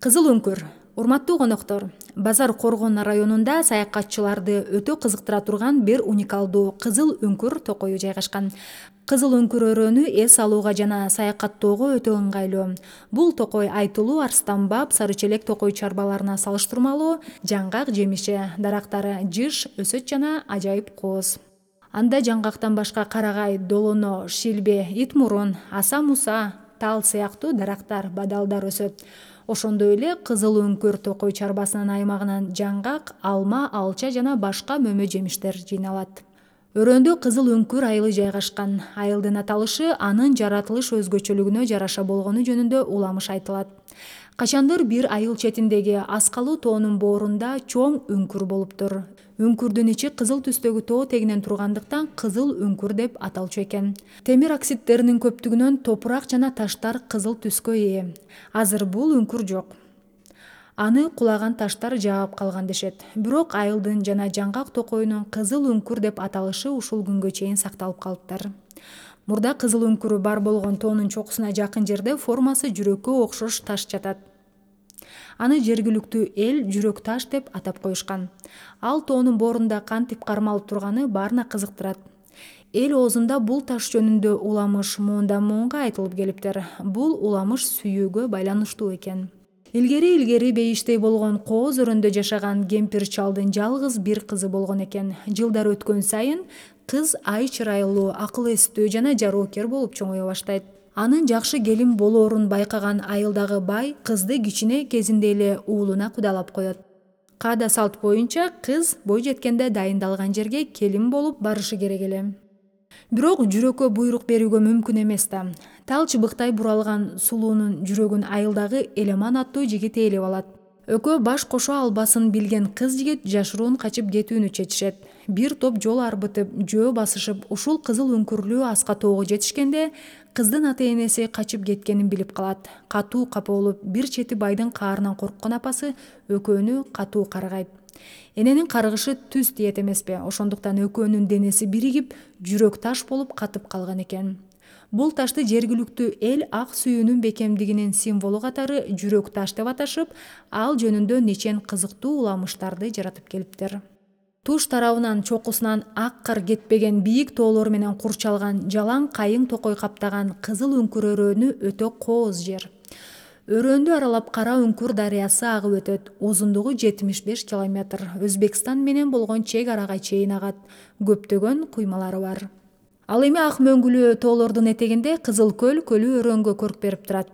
Кызыл үңкүр. Урматтуу коноктор, Базар Коргон районунда саякатчыларды өтө кызыктыра турган бир уникалдуу кызыл үңкүр токою жайгашкан. Кызыл үңкүр өрөөнү эс алууга жана саякаттоого өтө ыңгайлуу. Бул токой Айтылуу, Арстанбаб, Сарычелек токой чарбаларына салыштырмалуу жаңгак жемиши, дарактары жыш, өсөт жана ажайып кооз. Анда жаңгактан башка карагай, долоно, шилбе, ит мурун, аса муса, тал сыяктуу дарактар, бадалдар өсөт. Ошондой эле кызыл үңкүр токой чарбасынын аймагынан жаңгак, алма, алча жана башка мөмө жемиштер жыйналат. Өрөөндө кызыл үңкүр айылы жайгашкан. Айылдын аталышы анын жаратылыш өзгөчөлүгүнө жараша болгону жөнүндө уламыш айтылат. Качандыр бир айыл четиндеги Аскалуу тоонун боорунда чоң үңкүр болуптур. Үңкүрдүн ичи кызыл түстөгү тоо тегинен тургандыктан кызыл үңкүр деп аталчу экен. Темир оксидтеринин көптүгүнөн топурак жана таштар кызыл түскө ээ. Азыр бул үңкүр жок. Аны кулаган таштар жаап калган дешет. Бирок айылдын жана жаңгак токоюнун кызыл үңкүр деп аталышы ушул күнгө чейин сакталып калыптыр. Мурда кызыл үңкүрү бар болгон тоонун чокусуна жакын жерде формасы жүрөккө окшош таш жатат. Аны жергиликтүү эл жүрөк таш деп атап коюшкан. Ал тоонун боорунда кантип кармалып турганы баарына кызыктырат. Эл оозунда бул таш жөнүндө уламыш муундан муунга айтылып келиптир. Бул уламыш сүйүүгө байланыштуу экен. Илгери бейиштей болгон кооз өрөндө жашаган кемпир чалдын жалгыз бир кызы болгон экен. Жылдар өткөн сайын кыз ай чырайлуу, акыл эстүү жана жароокер болуп чоңое баштайт. Анын жакшы келин болоорун байкаган айылдагы бай кызды кичине кезинде эле уулуна кудалап коет. Каада салт боюнча кыз бой жеткенде дайындалган жерге келин болуп барышы керек эле. Бирок жүрөккө буйрук берүүгө мүмкүн эмес да. Тал чыбыктай буралган сулуунун жүрөгүн айылдагы Элеман аттуу жигит ээлеп алат. Экөө баш кошо албасын билген кыз-жигит жашыруун качып кетүүнү чечишет. Бир топ жол арбытып, жөө басышып, ушул кызыл үңкүрлүү аска тоого жетишкенде кыздын ата-энеси качып кеткенин билип калат. Катуу капа болуп, бир чети байдын каарынан корккон апасы экөөнү катуу каргайт. Эненин каргышы түз тиет эмеспи? Ошондуктан экөөнүн денеси биригип, жүрөк таш болуп катып калган экен. Бул ташты жергиликтүү эл ак сүйүүнүн бекемдигинин символу катары жүрөк таш деп аташып, ал жөнүндө нечен кызыктуу уламыштарды жаратып келиптир. Туш тарабынан чокусунан ак кар кетпеген бийик тоолор менен курчалган жалаң кайың токой каптаган кызыл үңкүр өрөөнү өтө кооз жер. Өрөөндү аралап Кара үңкүр дарыясы агып өтөт. Узундугу 75 километр. Өзбекстан менен болгон чек арага чейин агат. Көптөгөн куймалары бар. Ал эми ак мөңгүлүү тоолордун этегинде Кызыл көлү өрөөнгө көрк берип турат.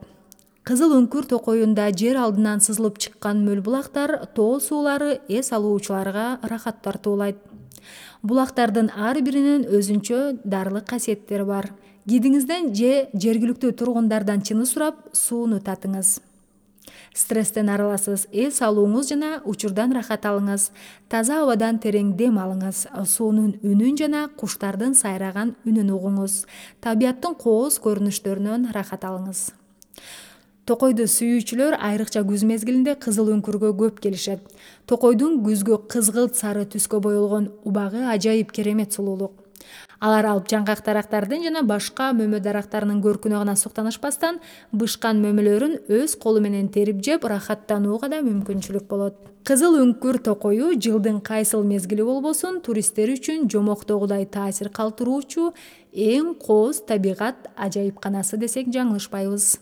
Кызыл үңкүр токоюнда жер алдынан сызылып чыккан мөл булактар тоо суулары эс алуучуларга рахат тартуулайт. Булактардын ар биринин өзүнчө даарылык касиеттери бар. Гидиңизден же жергиликтүү тургундардан чыны сурап, сууну татыңыз. Стресстен арыласыз, эс алууңуз жана учурдан рахат алыңыз. Таза абадан терең дем алыңыз. Суунун үнүн жана куштардын сайраган үнүн угуңуз. Табияттын кооз көрүнүштөрүнөн рахат алыңыз. Токойду сүйүүчүлөр айрыкча күз мезгилинде кызыл үңкүргө көп келишет. Токойдун күзгү кызгылт сары түскө боелгон убагы ажайып керемет сулуулук. Алар алып жаңгак дарактардын жана башка мөмө дарактарынын көркүнө гана суктанышпастан, бышкан мөмөлөрүн өз колу менен терип жеп, рахаттанууга да мүмкүнчүлүк болот. Кызыл үңкүр токою жылдын кайсыл мезгили болбосун туристтер үчүн жомоктогудай таасир калтыруучу эң кооз табигат ажайыпканасы десек жаңылышпайбыз.